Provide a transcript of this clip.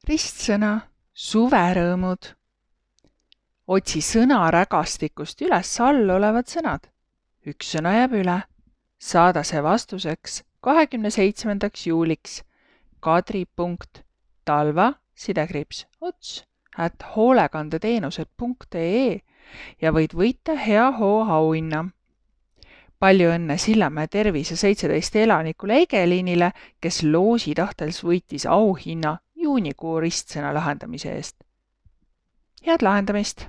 Ristsõna suverõõmud. Otsi sõnarägastikust üles all olevad sõnad. Üks sõna jääb üle. Saada see vastuseks 27. juuliks kadri.talva_ots@hoolekandeteenused.ee ja võid võita hea hoo auhinna. Palju õnne Sillamäe Tervise 17 elanikule Egeliinile, kes loosi tahtels võitis auhinna juunikuu ristsõna lahendamise eest. Head lahendamist!